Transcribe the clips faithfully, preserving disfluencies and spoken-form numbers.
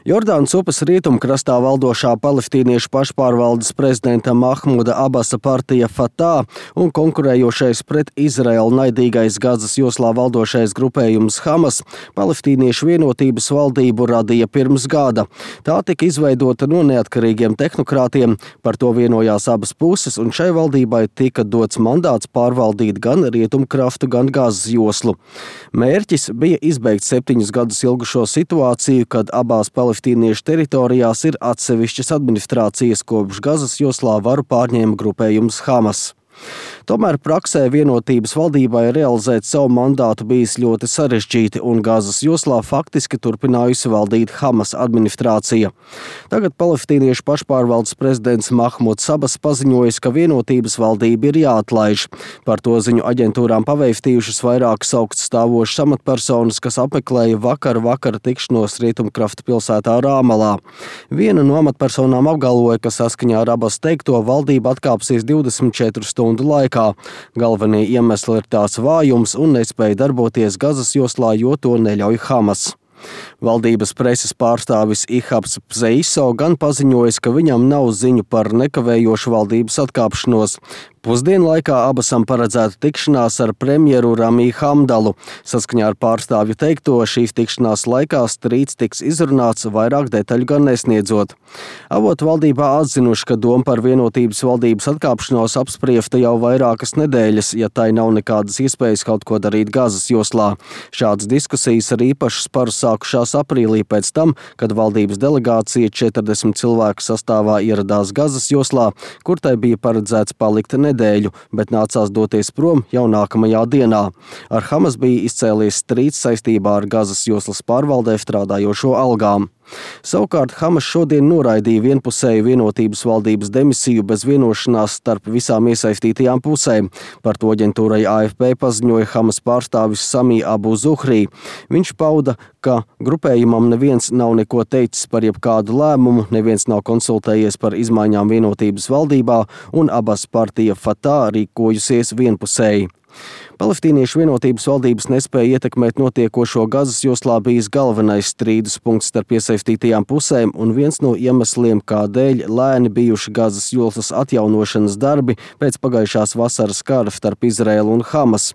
Jordānas upes rietumkrastā valdošā palestīniešu pašpārvaldes prezidenta Mahmuda Abasa partija Fatah un konkurējošais pret Izraelu naidīgais Gazas joslā valdošais grupējums Hamas palestīniešu vienotības valdību radīja pirms gada. Tā tika izveidota no neatkarīgiem tehnokrātiem, par to vienojās abas puses, un šai valdībai tika dots mandāts pārvaldīt gan rietumkrastu, gan Gazas joslu. Mērķis bija izbeigt septiņus gadus ilgušo situāciju, kad abās palestīniešu teritorijās ir atsevišķas administrācijas, kopš Gazas joslā varu pārņēma grupējums Hamas. Tomēr praksē vienotības valdībai realizēt savu mandātu bijis ļoti sarežģīti, un Gazas joslā faktiski turpinājusi valdīt Hamas administrācija. Tagad palestīniešu pašpārvaldes prezidents Mahmuds Abas paziņojis, ka vienotības valdība ir jāatlaiž. Par to ziņu aģentūrām pavēstījušas vairākas augststāvošas amatpersonas, kas apmeklēja vakar vakara tikšanos rietumkrasta pilsētā Rāmalā. Viena no amatpersonām apgalvoja, ka saskaņā ar Abas teikto valdība atkāpsies divdesmit četru stundu laikā. Galvenie iemesli ir tās vājums un nespēja darboties Gazas joslā, jo to neļauj Hamas. Valdības preses pārstāvis Ihabs Pzeiso gan paziņojis, ka viņam nav ziņu par nekavējošu valdības atkāpšanos. Pusdienu laikā Abasam paredzēta tikšanās ar premjeru Ramī Hamdalu. Saskaņā ar pārstāvju teikto, šīs tikšanās laikā strīds tiks izrunāts, vairāk detaļu gan nesniedzot. Avoti valdībā atzinuši, ka doma par vienotības valdības atkāpšanos apspriesta jau vairākas nedēļas, ja tai nav nekādas iespējas kaut ko darīt Gazas joslā. Šādas diskusijas ar īpašu sparu sākušās aprīlī pēc tam, kad valdības delegācija četrdesmit cilvēku sastāvā ieradās Gazas joslā, kur tai bija paredzēts palikt nedēļu, bet nācās doties prom jau nākamajā dienā. Ar Hamas bija izcēlies strīds saistībā ar Gazas joslas pārvaldē strādājošo algām. Savukārt Hamas šodien noraidīja vienpusēju vienotības valdības demisiju bez vienošanās starp visām iesaistītajām pusēm. Par to aģentūrai A F P paziņoja Hamas pārstāvis Samī Abu Zuhrī. Viņš pauda, ka grupējumam neviens nav neko teicis par jebkādu lēmumu, neviens nav konsultējies par izmaiņām vienotības valdībā, un Abas partija Fatah rīkojusies vienpusēji. Palestīniešu vienotības valdības nespēja ietekmēt notiekošo Gazas joslā bijis galvenais strīdus punkts starp iesaistītajām pusēm un viens no iemesliem, kādēļ lēni bijuši Gazas joslas atjaunošanas darbi pēc pagājušās vasaras kara starp Izraēlu un Hamas.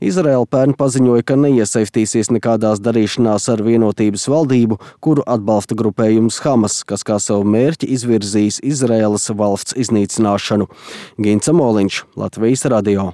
Izraēla pērn paziņoja, ka neiesaistīsies nekādās darīšanās ar vienotības valdību, kuru atbalsta grupējums Hamas, kas kā savu mērķi izvirzījis Izraēlas valsts iznīcināšanu. Gints Amoliņš, Latvijas radio.